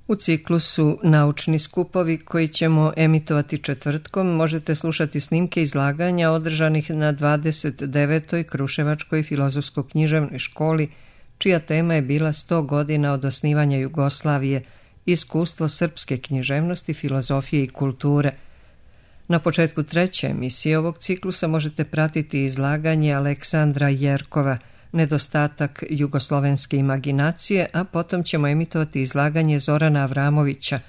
U ciklusu Naučni skupovi koji ćemo emitovati četvrtkom možete slušati snimke izlaganja održanih na 29. Kruševačkoj filozofsko-književnoj školi, čija tema je bila 100 godina od osnivanja Jugoslavije, iskustvo srpske književnosti, filozofije i kulture. Na početku treće emisije ovog ciklusa možete pratiti izlaganje Aleksandra Jerkova, Nedostatak jugoslovenske imaginacije, a potom ćemo emitovati izlaganje Zorana Avramovića,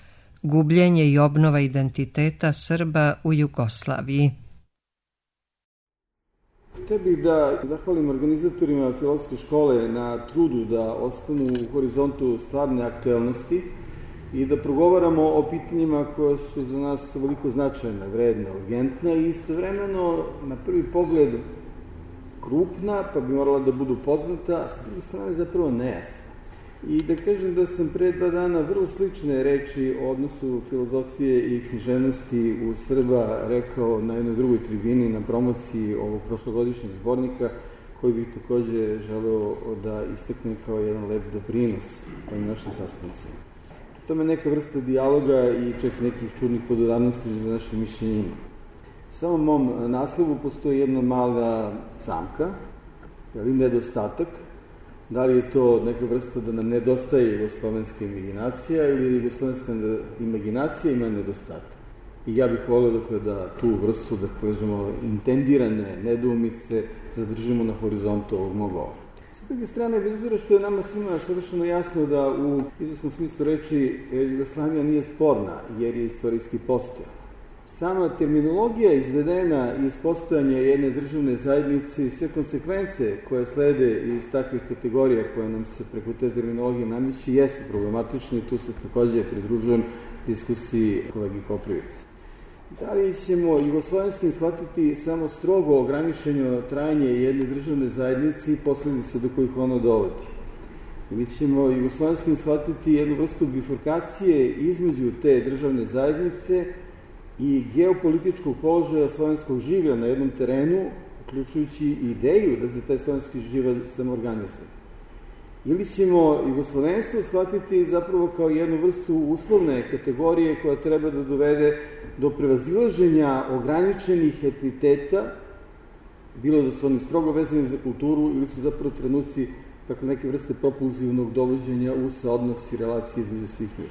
Gubljenje i obnova identiteta Srba u Jugoslaviji. Htio bih da zahvalim organizatorima filozofske škole na trudu da ostanu u horizontu stvarne aktuelnosti i da progovaramo o pitanjima koja su za nas veliko značajna, vredna, urgentna i istovremeno na prvi pogled krupna, pa bi morala da budu poznata, a sa druge strane zapravo nejasna. I da kažem da sam pre 2 dana vrlo slične reči o odnosu filozofije i književnosti u Srba rekao na jednoj drugoj tribini na promociji ovog prošlogodišnjeg zbornika, koji bih takođe želeo da istaknem kao jedan lep doprinos ovim našim sastancima. To je neka vrsta dijaloga i čak nekih čudnih podudarnosti za naše mišljenje. U samom mom naslovu postoji jedna mala zamka, ali nedostatak. Da li je to neka vrsta da nam nedostaje jugoslovenska imaginacija ili jugoslovenska imaginacija ima nedostatak. I ja bih volio da tu vrstu, da kažemo, intendirane nedoumice zadržimo na horizontu ovog mog govora. Sa druge strane, bez obzira što je nama svima savršeno jasno da u izvesnom smislu reči Jugoslavija nije sporna jer je istorijski postojala. Sama terminologija izvedena iz postojanja jedne državne zajednice i sve konsekvence koje slede iz takvih kategorija koje nam se preko te terminologije nameći jesu problematične i tu se takođe pridružujem diskusiji kolegi Koprivice. Da li ćemo jugoslovenskim shvatiti samo strogo ograničeno trajanje jedne državne zajednice i posledice do kojih ono dovodi? Ili ćemo jugoslovenskim shvatiti jednu vrstu bifurkacije između te državne zajednice i geopolitičkog položaja slovenskog življa na jednom terenu, uključujući ideju da se taj slovenski živelj samoorganizuje. Ili ćemo jugoslovenstvo shvatiti zapravo kao jednu vrstu uslovne kategorije koja treba da dovede do prevazilaženja ograničenih etniteta, bilo da su oni strogo vezani za kulturu ili su zapravo trenuci neke vrste propulzivnog dovođenja u saodnos i relacije između svih njih.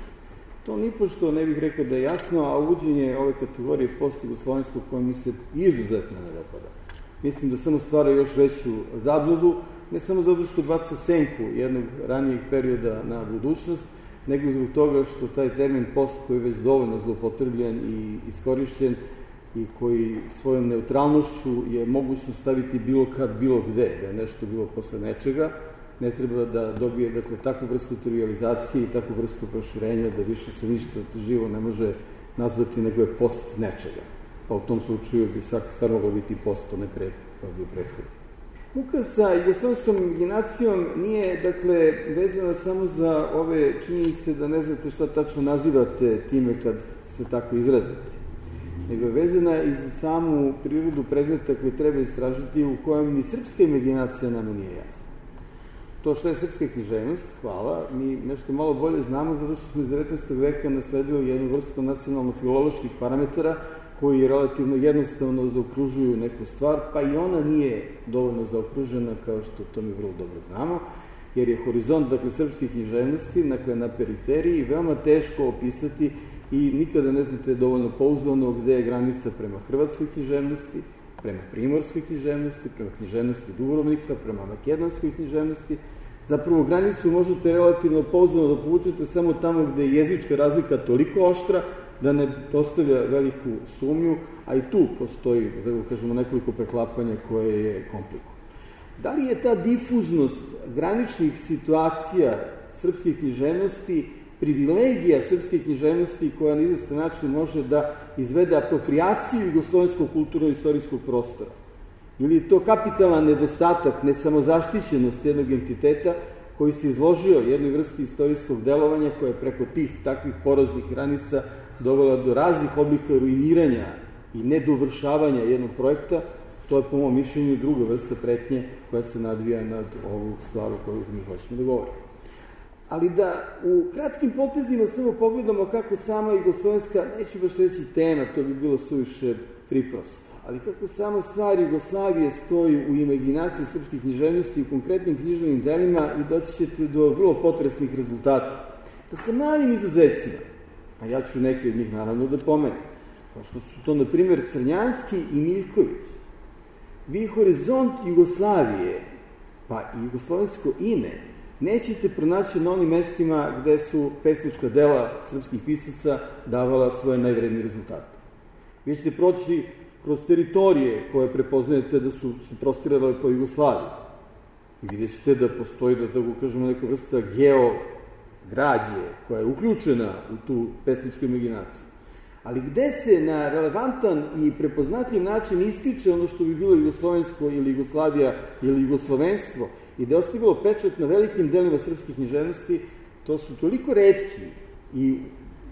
To nipošto ne bih rekao da je jasno, a uvođenje ove kategorije post-jugoslovenskog koja mi se izuzetno ne dopada. Mislim da samo stvara još veću zabludu, ne samo zato što baca senku jednog ranijeg perioda na budućnost, nego zbog toga što taj termin post koji je već dovoljno zloupotrebljen i iskorišćen i koji svojom neutralnošću je mogućno staviti bilo kad, bilo gde, da je nešto bilo posle nečega, ne treba da dobije takvu vrstu trivializacije i takvu vrstu proširenja da više se ništa živo ne može nazvati nego je post nečega. Pa u tom slučaju bi svaka stvar mogla biti post, to ne bio prethodno. Muka sa jugoslovenskom imaginacijom nije, vezana samo za ove činjenice da ne znate šta tačno nazivate time kad se tako izrazite, nego je vezana i za samu prirodu predmeta koje treba istražiti u kojem ni srpska imaginacija nama nije jasna. To što je srpska književnost, hvala, mi nešto malo bolje znamo zato što smo iz 19. veka nasledili jednu vrstu nacionalno-filoloških parametara koji relativno jednostavno zaokružuju neku stvar, pa i ona nije dovoljno zaokružena kao što to mi vrlo dobro znamo, jer je horizont, srpske književnosti, na periferiji, veoma teško opisati i nikada ne znate dovoljno pouzdano gde je granica prema hrvatskoj književnosti, prema primorskoj književnosti, prema književnosti Dubrovnika, prema makedonskoj književnosti. Zapravo, granicu možete relativno pouzdano da povučete samo tamo gde je jezička razlika toliko oštra da ne postavlja veliku sumnju, a i tu postoji, nekoliko preklapanja koje je komplikovano. Da li je ta difuznost graničnih situacija srpske književnosti privilegija srpske književnosti koja na izvestan način može da izvede aproprijaciju jugoslovenskog kulturno-istorijskog prostora? Ili je to kapitalan nedostatak, nesamozaštićenost jednog entiteta koji se izložio jednoj vrsti istorijskog delovanja koja je preko tih takvih poroznih granica dovela do raznih oblika ruiniranja i nedovršavanja jednog projekta? To je po mom mišljenju druga vrsta pretnje koja se nadvija nad ovu stvar o kojoj mi hoćemo da govorimo. ali da u kratkim potezima samo pogledamo kako sama jugoslovenska, neću baš reći tema, to bi bilo suviše priprosto, ali kako sama stvar Jugoslavije stoji u imaginaciji srpske književnosti i u konkretnim književnim delima i doći ćete do vrlo potresnih rezultata. Da sa malim izuzecima, a ja ću neki od njih naravno da pomenem, kao što su to, na primjer, Crnjanski i Miljković, vi horizont Jugoslavije, pa i jugoslovensko ime, nećete pronaći na onim mestima gde su pesnička dela srpskih pisaca davala svoje najvrednije rezultate. Vi ćete proći kroz teritorije koje prepoznajete da su se prostirale po Jugoslaviji. I vidjet ćete da postoji, da tako kažemo, neka vrsta geograđe koja je uključena u tu pesničku imaginaciju. Ali gde se na relevantan i prepoznatljiv način ističe ono što bi bilo jugoslovensko ili Jugoslavija ili jugoslovenstvo i da je ostavilo pečat na velikim delima srpskih književnosti, to su toliko retki i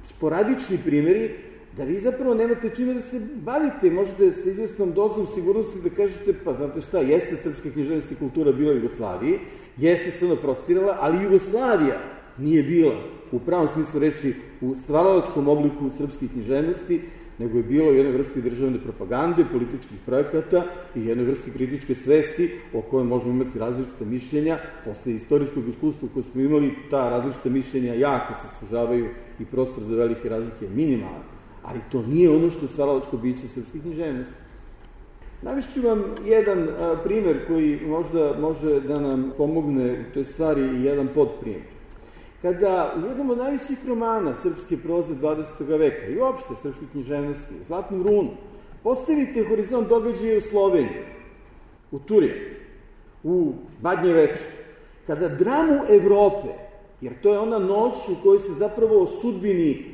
sporadični primjeri da vi zapravo nemate čime da se bavite. Možete sa izvesnom dozom sigurnosti da kažete, pa znate šta, jeste srpska književnost i kultura bila u Jugoslaviji, jeste se ona prostirala, ali Jugoslavija nije bila u pravom smislu reči u stvaralačkom obliku srpske književnosti, nego je bilo jednoj vrsti državne propagande, političkih projekata i jednoj vrsti kritičke svesti o kojoj možemo imati različite mišljenja. Posle istorijskog iskustva koje smo imali, ta različita mišljenja jako se sužavaju i prostor za velike razlike je minimalan, ali to nije ono što je stvaralačko biće srpske književnosti. Navešću vam jedan primer koji možda može da nam pomogne u toj stvari i jedan podprimer. Kada u jednom od najvećih romana srpske proze 20. veka i uopšte srpske književnosti, u Zlatnom runu, postavite horizont događaja u Sloveniji, u Turinu, u Badnje veče, kada dramu Evrope, jer to je ona noć u kojoj se zapravo o sudbini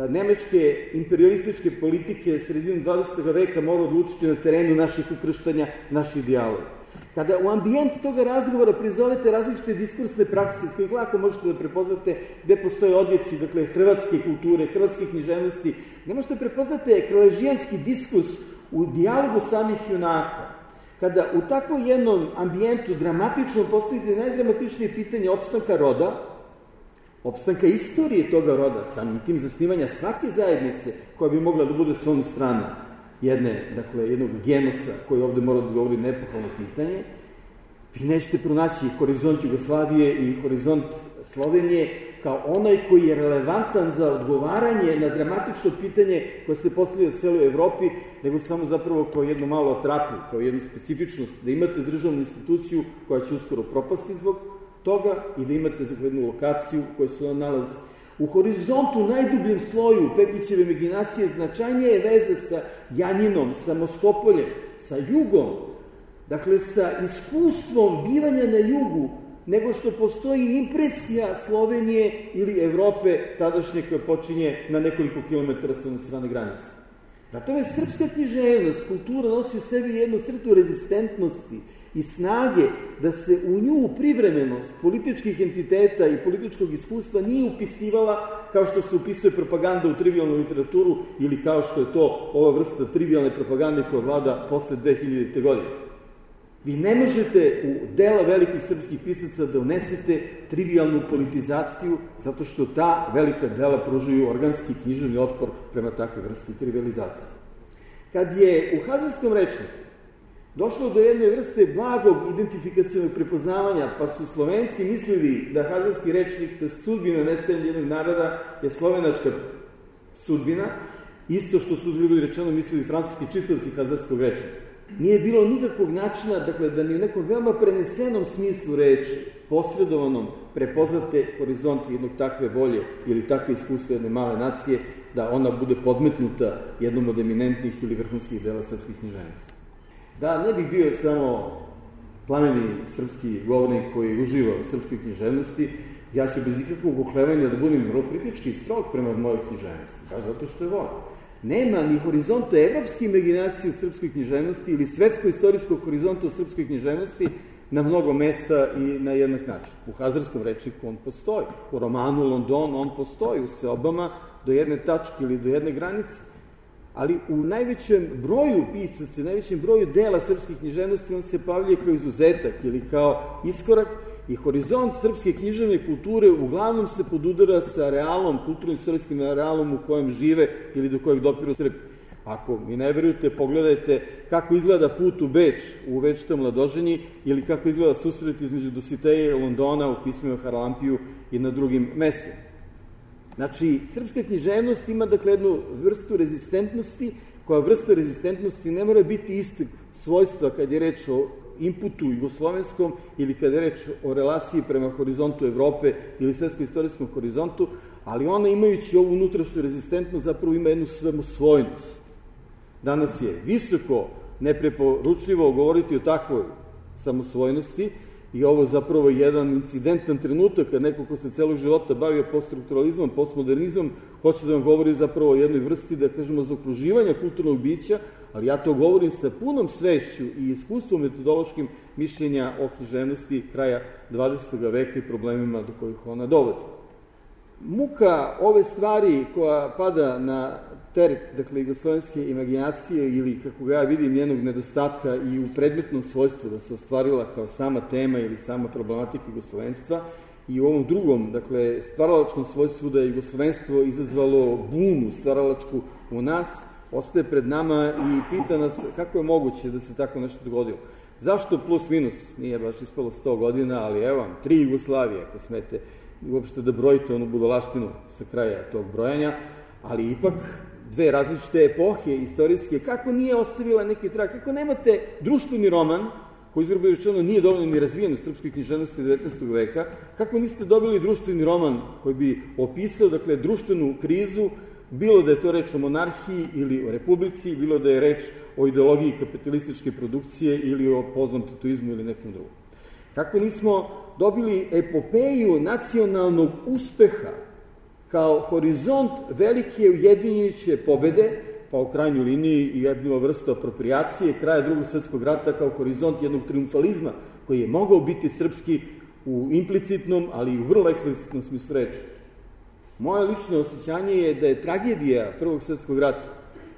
nemačke imperialističke politike sredinom 20. veka mora odlučiti na terenu naših ukrštanja, naših dijaloga. Kada u ambijent toga razgovora prizovete različite diskursne prakse, s kojih lako možete da prepoznate gde postoje odjeci, dakle, hrvatske kulture, hrvatske književnosti, ne možete da prepoznate kraležijanski diskurs u dijalogu samih junaka. Kada u takvom jednom ambijentu dramatično postavite najdramatičnije pitanje opstanka roda, opstanka istorije toga roda, samim tim zasnivanja svake zajednice koja bi mogla da bude s onu strana jednog genosa koji ovde mora da govori nepohalno pitanje, vi nećete pronaći horizont Jugoslavije i horizont Slovenije kao onaj koji je relevantan za odgovaranje na dramatično pitanje koje se postavlja u celoj Evropi, nego samo zapravo kao jednu malu atrapu, kao jednu specifičnost, da imate državnu instituciju koja će uskoro propasti zbog toga i da imate jednu lokaciju koja se nalazi. U horizontu, najdubljem sloju Pekićeve imaginacije, značajnije je veze sa Janjinom, sa Moskopoljem, sa jugom, dakle sa iskustvom bivanja na jugu, nego što postoji impresija Slovenije ili Evrope tadašnje koja počinje na nekoliko kilometara sa one strane granice. Na tome srpska književnost, kultura nosi u sebi jednu crtu rezistentnosti i snage da se u nju privremenost političkih entiteta i političkog iskustva nije upisivala kao što se upisuje propaganda u trivialnu literaturu ili kao što je to ova vrsta trivialne propagande koja vlada posle 2000. godine. Vi ne možete u dela velikih srpskih pisaca da unesete trivialnu politizaciju zato što ta velika dela pružaju organski književni otpor prema takve vrsti trivializacije. Kad je u Hazarskom rečniku došlo do jedne vrste blagog identifikacionog prepoznavanja, pa su Slovenci mislili da Hazarski rečnik, to je sudbina nestajanja jednog naroda, je slovenačka sudbina, isto što su uzgledi rečeno mislili francuski čitaoci Hazarskog rečnika. Nije bilo nikakvog načina, dakle, da ni u nekom veoma prenesenom smislu reči, posredovanom, prepoznate horizont jednog takve volje ili takve iskustva jedne male nacije, da ona bude podmetnuta jednom od eminentnih ili vrhunskih dela srpskih književnosti. Da ne bih bio samo plameni srpski govornik koji uživa u srpskoj književnosti, ja ću bez ikakvog oklevanja da budem vrlo kritički i strog prema mojoj književnosti, baš zato što je volim. Nema ni horizonta evropske imaginacije u srpskoj književnosti ili svetsko-istorijskog horizonta u srpskoj književnosti na mnogo mesta i na jednak način. U Hazarskom rečniku on postoji, u romanu London on postoji, u seobama do jedne tačke ili do jedne granice, ali u najvećem broju pisaca, najvećem broju dela srpskih književnosti on se pavlja kao izuzetak ili kao iskorak i horizont srpske književne kulture uglavnom se podudara sa realom, kulturno-istorijskim realom u kojem žive ili do kojeg dopiru Srbi. Ako mi ne verujete, pogledajte kako izgleda put u Beč u Večitom Mladoženji ili kako izgleda susret između Dositeja i Londona u pismima Haralampiju i na drugim mestima. Znači, srpska književnost ima dakle jednu vrstu rezistentnosti, koja vrsta rezistentnosti ne mora biti istog svojstva kad je reč o inputu jugoslovenskom ili kad je reč o relaciji prema horizontu Evrope ili svetsko-istorijskom horizontu, ali ona imajući ovu unutrašnju rezistentnost zapravo ima jednu samosvojnost. Danas je visoko nepreporučljivo govoriti o takvoj samosvojnosti i ovo zapravo jedan incidentan trenutak kad neko ko se celog života bavio poststrukturalizmom, postmodernizmom, hoće da vam govori zapravo o jednoj vrsti, da kažemo, zaokruživanja kulturnog bića, ali ja to govorim sa punom svešću i iskustvom metodološkim mišljenja o književnosti kraja 20. veka i problemima do kojih ona dovodi. Muka ove stvari koja pada na teret, dakle, jugoslovenske imaginacije ili, kako ga ja vidim, njenog nedostatka i u predmetnom svojstvu da se ostvarila kao sama tema ili sama problematika jugoslovenstva i u ovom drugom, dakle, stvaralačkom svojstvu da je jugoslovenstvo izazvalo bunu stvaralačku u nas, ostaje pred nama i pita nas kako je moguće da se tako nešto dogodilo. Zašto plus minus? Nije baš ispalo 100 godina, ali evo vam, 3 Jugoslavije, ako smete uopšte da brojite onu budalaštinu sa kraja tog brojanja, ali ipak dve različite epohe istorijske, kako nije ostavila neki trag, kako nemate društveni roman, koji izvrbo rečeno nije dovoljno ni razvijen u srpskoj književnosti 19. veka, kako niste dobili društveni roman koji bi opisao, dakle, društvenu krizu, bilo da je to reč o monarhiji ili o republici, bilo da je reč o ideologiji kapitalističke produkcije ili o poznom tatuizmu ili nekom drugom. Kako nismo dobili epopeju nacionalnog uspeha kao horizont velike ujedinjujuće pobede, pa u krajnjoj liniji i jednu vrstu apropriacije kraja Drugog svjetskog rata kao horizont jednog triumfalizma koji je mogao biti srpski u implicitnom, ali i u vrlo eksplicitnom smislu reči. Moje lično osjećanje je da je tragedija Prvog svjetskog rata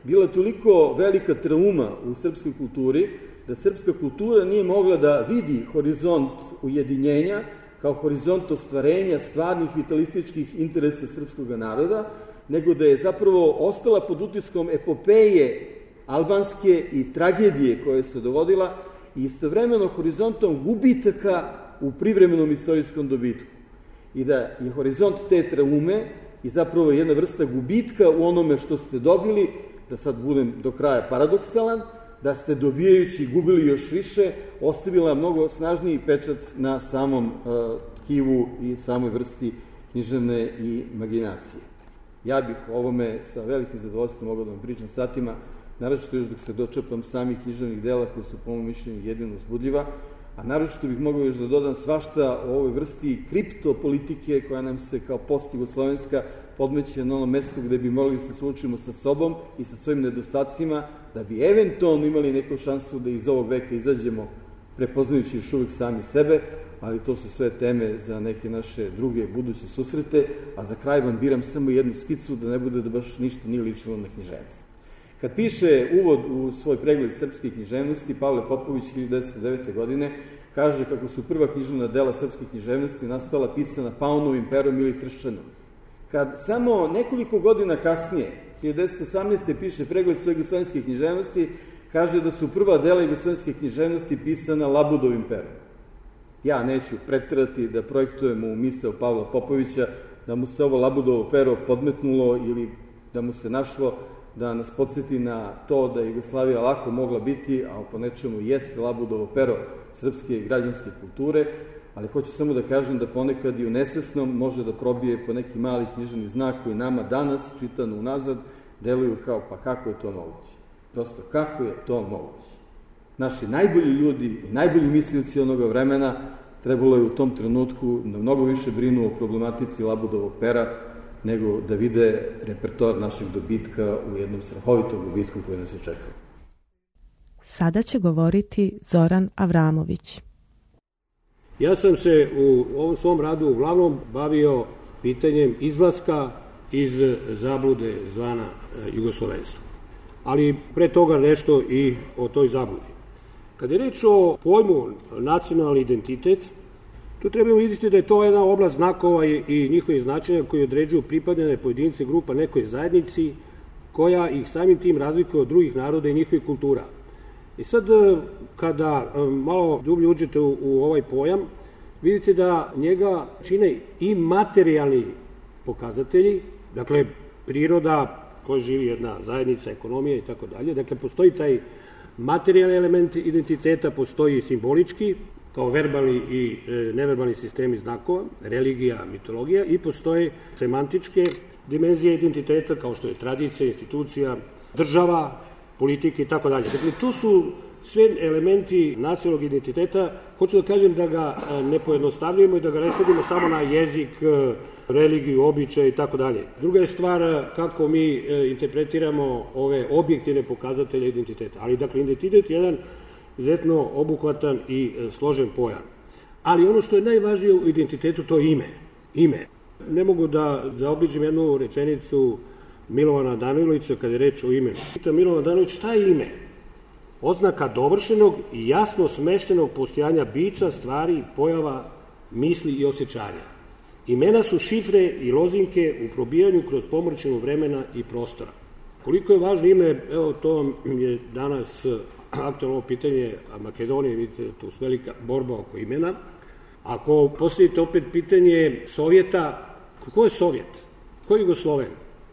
bila toliko velika trauma u srpskoj kulturi, da srpska kultura nije mogla da vidi horizont ujedinjenja kao horizont ostvarenja stvarnih vitalističkih interesa srpskog naroda, nego da je zapravo ostala pod utiskom epopeje albanske i tragedije koje se dovodila i istovremeno horizontom gubitaka u privremenom istorijskom dobitku. I da je horizont te traume i zapravo jedna vrsta gubitka u onome što ste dobili, da sad budem do kraja paradoksalan, da ste dobijajući gubili još više, ostavila mnogo snažniji pečat na samom tkivu i samoj vrsti književne imaginacije. Ja bih o ovome sa velikim zadovoljstvom mogao da vam pričam satima, naročito još dok se dočepam samih književnih dela koji su po mom mišljenju jedino uzbudljiva, a naročito bih mogao još da dodam svašta o ovoj vrsti kriptopolitike koja nam se kao post-jugoslovenska podmeće na onom mestu gde bi mogli da se suočimo sa sobom i sa svojim nedostacima, da bi eventualno imali neku šansu da iz ovog veka izađemo prepoznajući još uvijek sami sebe, ali to su sve teme za neke naše druge buduće susrete, a za kraj vam biram samo jednu skicu da ne bude da baš ništa nije ličilo na književnost. Kad piše uvod u svoj pregled srpske književnosti, Pavle Popović 1909. godine kaže kako su prva književna dela srpske književnosti nastala pisana paunovim perom ili trščanom. Kad samo nekoliko godina kasnije, 1918. piše pregled sve jugoslovenske književnosti, kaže da su prva dela jugoslovenske književnosti pisana labudovim perom. Ja neću preterati da projektujemo u misao Pavla Popovića da mu se ovo labudovo pero podmetnulo ili da mu se našlo da nas podsjeti na to da je Jugoslavija lako mogla biti, a po nečemu jeste labudovo pero srpske građanske kulture, ali hoću samo da kažem da ponekad i u nesvesnom može da probije po neki mali književni znak koji nama danas, čitano unazad, deluju kao pa kako je to moguće. Prosto, kako je to moguće? Naši najbolji ljudi i najbolji mislioci onoga vremena trebalo je u tom trenutku da mnogo više brinu o problematici labudovog pera nego da vide repertoar našeg dobitka u jednom strahovitom gubitku koji nas je čekao. Sada će govoriti Zoran Avramović. Ja sam se u ovom svom radu uglavnom bavio pitanjem izlaska iz zablude zvana jugoslovenstvo. Ali pre toga nešto i o toj zabludi. Kad je reč o pojmu nacionalni identitet, Tu trebamo vidjeti da je to jedna oblast znakova i njihovih značenja koji određuju pripadane pojedince grupa nekoj zajednici koja ih samim tim razlikuje od drugih naroda i njihovih kultura. I sad kada malo dublje uđete u ovaj pojam, vidite da njega čine i materijalni pokazatelji, dakle priroda koja živi jedna zajednica, ekonomija i tako dalje. Dakle, postoji taj materijalni element identiteta, postoji i simbolički, kao verbalni i neverbalni sistemi znakova, religija, mitologija, i postoje semantičke dimenzije identiteta kao što je tradicija, institucija, država, politike i tako dalje. Dakle, to su sve elementi nacionalnog identiteta. Hoću da kažem da ga ne pojednostavljujemo i da ga ne svedimo samo na jezik, religiju, običaj i tako dalje. Druga je stvar kako mi interpretiramo ove objektivne pokazatelje identiteta. Ali, dakle, identitet je jedan izuzetno obuhvatan i složen pojam. Ali ono što je najvažnije u identitetu, to je ime. Ne mogu da zaobiđem jednu rečenicu Milovana Danojlovića kada je reč o imenu. Pita Milovan Danojlović, šta je ime? Oznaka dovršenog i jasno smeštenog postojanja bića, stvari, pojava, misli i osjećanja. Imena su šifre i lozinke u probijanju kroz pomračinu vremena i prostora. Koliko je važno ime, evo to je danas aktualno pitanje Makedonije, vidite, tu su velika borba oko imena. Ako postavite opet pitanje Sovjeta, ko je Sovjet? Ko je Jugosloven?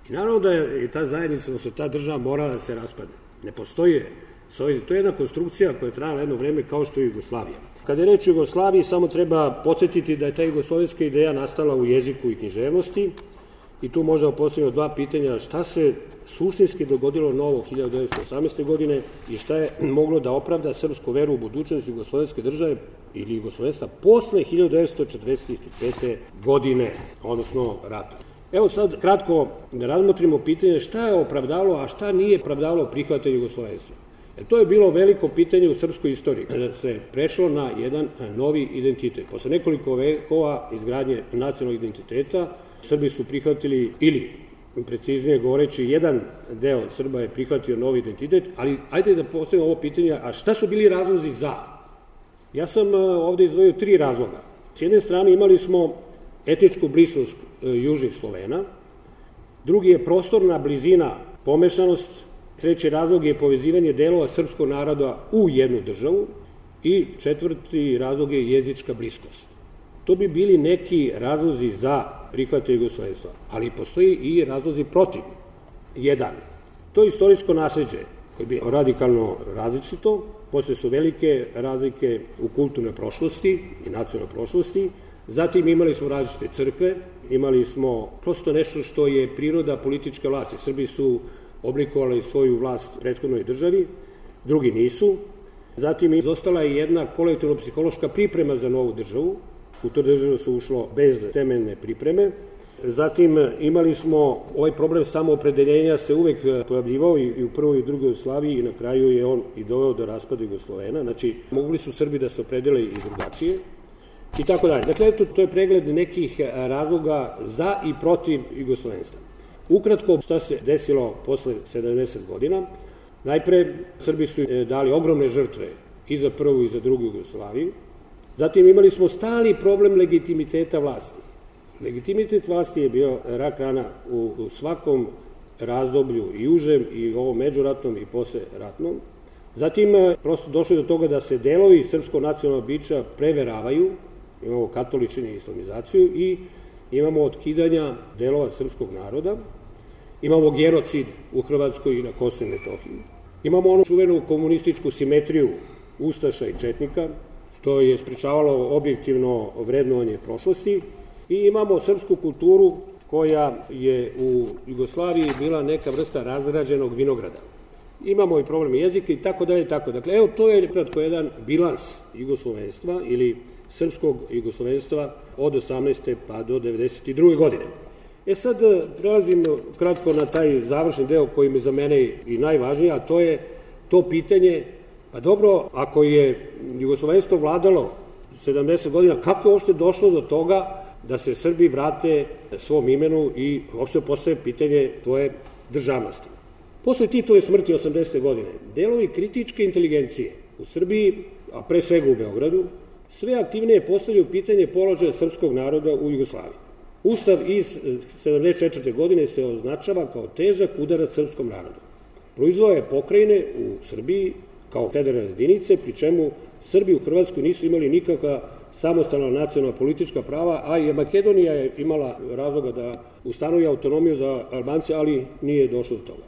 I naravno da je ta zajednica, odnosno ta država morala da se raspadne. Ne postoji Sovjet. To je jedna konstrukcija koja je trajala jedno vreme kao što je Jugoslavija. Kada je reč o Jugoslaviji, samo treba podsjetiti da je ta jugoslovenska ideja nastala u jeziku i književnosti i tu možemo postaviti dva pitanja: šta se suštinski dogodilo novo 1918. godine i šta je moglo da opravda srpsku veru u budućnost jugoslovenske države ili jugoslovenstva posle 1945. godine, odnosno rata. Evo sad kratko da razmotrimo pitanje šta je opravdalo, a šta nije opravdalo prihvatanje jugoslovenstva. To je bilo veliko pitanje u srpskoj istoriji, kada se prešlo na jedan novi identitet. Posle nekoliko vekova izgradnje nacionalnog identiteta, Srbi su prihvatili, ili preciznije govoreći, jedan deo Srba je prihvatio novi identitet, ali ajde da postavimo ovo pitanje, a šta su bili razlozi za? Ja sam ovde izdvojio 3 razloga. S jedne strane imali smo etničku bliskost južnih Slovena, drugi je prostorna blizina, pomešanost, treći razlog je povezivanje delova srpskog naroda u jednu državu i četvrti razlog je jezička bliskost. To bi bili neki razlozi za prihvatanje jugoslovenstva, ali postoji i razlozi protiv. Jedan, to je istorijsko nasleđe koje bi radikalno različito, posle su velike razlike u kulturnoj prošlosti i nacionalnoj prošlosti, zatim imali smo različite crkve, imali smo prosto nešto što je priroda političke vlasti. Srbi su oblikovali svoju vlast u prethodnoj državi, drugi nisu. Zatim izostala je jedna kolektivno-psihološka priprema za novu državu. U tu državu su ušlo bez temeljne pripreme. Zatim imali smo ovaj problem samoopredeljenja se uvek pojavljivao i u prvoj i drugoj Jugoslaviji i na kraju je on i doveo do raspada Jugoslovena. Znači, mogli su Srbi da se opredele i drugačije i tako dalje. Dakle, eto, to je pregled nekih razloga za i protiv jugoslovenstva. Ukratko, šta se desilo posle 70 godina? Najpre, Srbi su dali ogromne žrtve i za prvu i za drugu Jugoslaviju. Zatim imali smo stali problem legitimiteta vlasti. Legitimitet vlasti je bio rak rana u svakom razdoblju, i užem, i ovom međuratnom, i posleratnom. Zatim, prosto došlo do toga da se delovi srpskog nacionalnog bića preveravaju, imamo katoličenje i islamizaciju i imamo otkidanja delova srpskog naroda, imamo genocid u Hrvatskoj i na Kosovu i Metohiji, imamo onu čuvenu komunističku simetriju ustaša i četnika, što je sprečavalo objektivno vrednovanje prošlosti, i imamo srpsku kulturu koja je u Jugoslaviji bila neka vrsta razrađenog vinograda. Imamo i problem jezika i tako dalje i tako. Dakle, evo, to je kratko jedan bilans jugoslovenstva ili srpskog jugoslovenstva od 18. pa do 92. godine. Sad prelazim kratko na taj završni deo koji mi za mene i najvažniji, a to je to pitanje, pa dobro, ako je jugoslovenstvo vladalo 70 godina, kako je uopšte došlo do toga da se Srbi vrate svom imenu i uopšte postaje pitanje tvoje državnosti? Posle Titove smrti 80. godine, delovi kritičke inteligencije u Srbiji, a pre svega u Beogradu, sve aktivnije postavljaju pitanje položaja srpskog naroda u Jugoslaviji. Ustav iz 1974. godine se označava kao težak udarac srpskom narodu. Proizveo je pokrajine u Srbiji kao federalne jedinice, pri čemu Srbi u Hrvatskoj nisu imali nikakva samostalna nacionalna politička prava, a i Makedonija je imala razloga da ustanovi autonomiju za Albance, ali nije došlo do toga.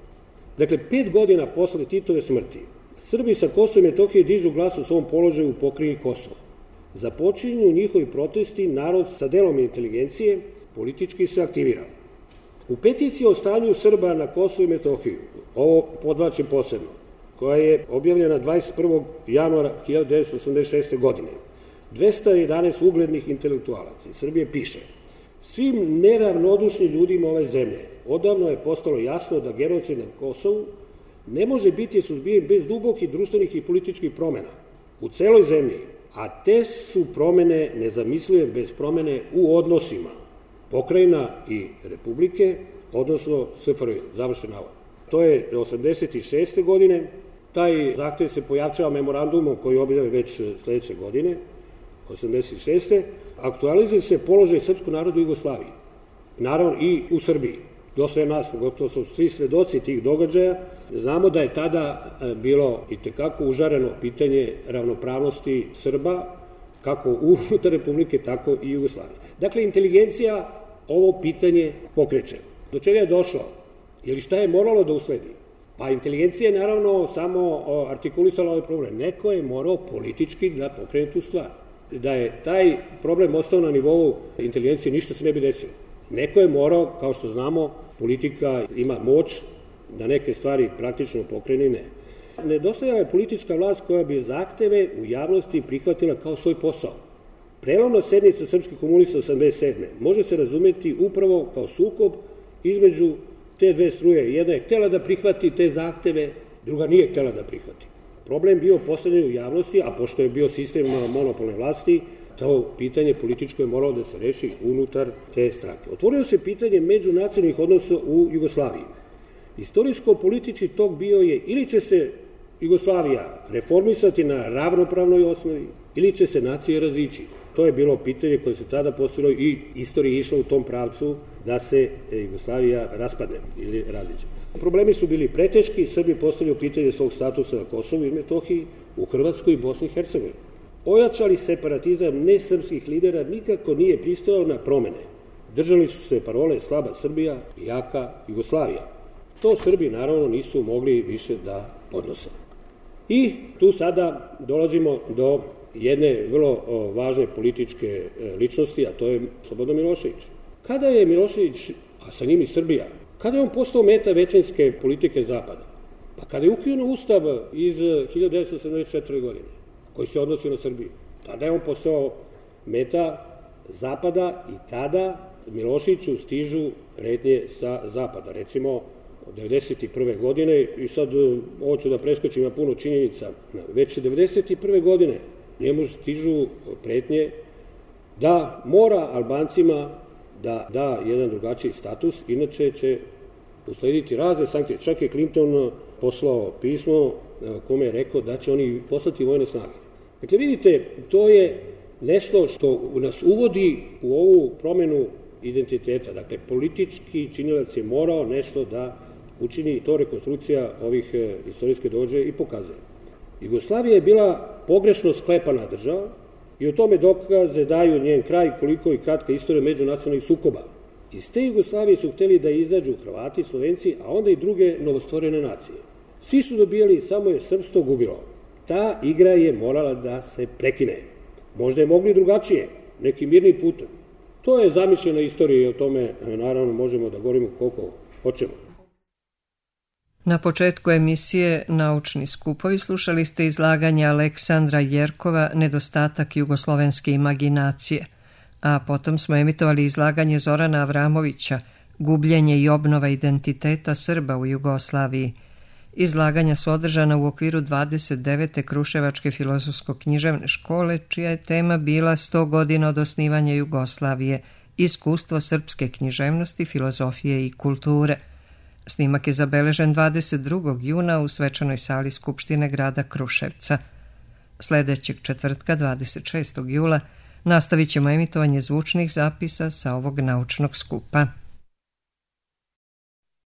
Dakle, 5 godina posle Titove smrti, Srbi sa Kosova i Metohije dižu glas u svom položaju u pokrajini Kosovo. Započinju njihovi protesti, narod sa delom inteligencije politički se aktivira. U peticiji o stanju Srba na Kosovu i Metohiju, ovo podvlačim posebno, koja je objavljena 21. januara 1986. godine, 211 uglednih intelektualaca iz Srbije piše: svim neravnodušnim ljudima ove zemlje odavno je postalo jasno da genocid na Kosovu ne može biti suzbijen bez dubokih društvenih i političkih promena u celoj zemlji, a te su promene nezamislive bez promene u odnosima pokrajina i republike, odnosno SFRJ, završen navod. To je 86. godine, taj zahtev se pojačava memorandumom koji objave već sledeće godine, 86. Aktualizuje se položaj srpskog naroda u Jugoslaviji, naravno i u Srbiji. Dosta je nas, gotovo su svi svedoci tih događaja, znamo da je tada bilo itekako užareno pitanje ravnopravnosti Srba, kako unutar Republike, tako i Jugoslavije. Dakle, inteligencija ovo pitanje pokreće. Do čega je došlo? Ili šta je moralo da usledi? Pa inteligencija je naravno samo artikulisala ovaj problem. Neko je morao politički da pokrene tu stvar. Da je taj problem ostao na nivou inteligencije, ništa se ne bi desilo. Neko je morao, kao što znamo, politika ima moć da neke stvari praktično pokrene i ne. Nedostajala je politička vlast koja bi zahteve u javnosti prihvatila kao svoj posao. Prelomna sednica srpskih komunista 87. može se razumeti upravo kao sukob između te dve struje. Jedna je htela da prihvati te zahteve, druga nije htela da prihvati. Problem bio postavljen u javnosti, a pošto je bio sistem monopolne vlasti, to pitanje političko je moralo da se reši unutar te stranke. Otvorilo se pitanje međunacionalnih odnosa u Jugoslaviji. Istorijsko-politički tok bio je ili će se Jugoslavija reformisati na ravnopravnoj osnovi, ili će se nacije razići. To je bilo pitanje koje se tada postavilo i istorija je išla u tom pravcu da se Jugoslavija raspadne ili raziće. Problemi su bili preteški, Srbi postavljaju pitanje svog statusa na Kosovu i Metohiji, u Hrvatskoj i Bosni i Hercegovini. Ojačali separatizam nesrpskih lidera nikako nije pristajao na promene. Držali su se parole slaba Srbija i jaka Jugoslavija. To Srbi naravno nisu mogli više da podnose. I tu sada dolazimo do jedne vrlo važne političke ličnosti, a to je Slobodan Milošević. Kada je Milošević, a sa njim i Srbija, kada je on postao meta većinske politike Zapada? Pa kada je ukinuo Ustav iz 1974. godine, koji se odnosi na Srbiju, tada je on postao meta Zapada i tada Miloševiću stižu pretnje sa Zapada. Recimo, od 1991. godine, i sad ovo ću da preskočim, ima puno činjenica, već 1991. godine njemu stižu pretnje da mora Albancima da da jedan drugačiji status, inače će uslediti razne sankcije. Čak je Clinton poslao pismo kome je rekao da će oni poslati vojne snage. Dakle, vidite, to je nešto što nas uvodi u ovu promenu identiteta. Dakle, politički činilac je morao nešto da učini, to rekonstrukcija ovih istorijske događaja i pokazuje. Jugoslavija je bila pogrešno sklepana država i o tome dokaze daju njen kraj, koliko i kratka istorija međunacionalnih sukoba. Iz te Jugoslavije su hteli da izađu Hrvati, Slovenci, a onda i druge novostvorene nacije. Svi su dobijali, samo je srpstvo gubilo. Ta igra je morala da se prekine. Možda je mogli drugačije, nekim mirnim putem. To je zamišljena istorija i o tome naravno možemo da govorimo koliko hoćemo. Na početku emisije Naučni skupovi slušali ste izlaganje Aleksandra Jerkova Nedostatak jugoslovenske imaginacije, a potom smo emitovali izlaganje Zorana Avramovića Gubljenje i obnova identiteta Srba u Jugoslaviji. Izlaganja su održana u okviru 29. Kruševačke filozofsko-književne škole, čija je tema bila 100 godina od osnivanja Jugoslavije, iskustvo srpske književnosti, filozofije i kulture. Snimak je zabeležen 22. juna u svečanoj sali Skupštine grada Kruševca. Sljedećeg četvrtka, 26. jula, nastavit ćemo emitovanje zvučnih zapisa sa ovog naučnog skupa.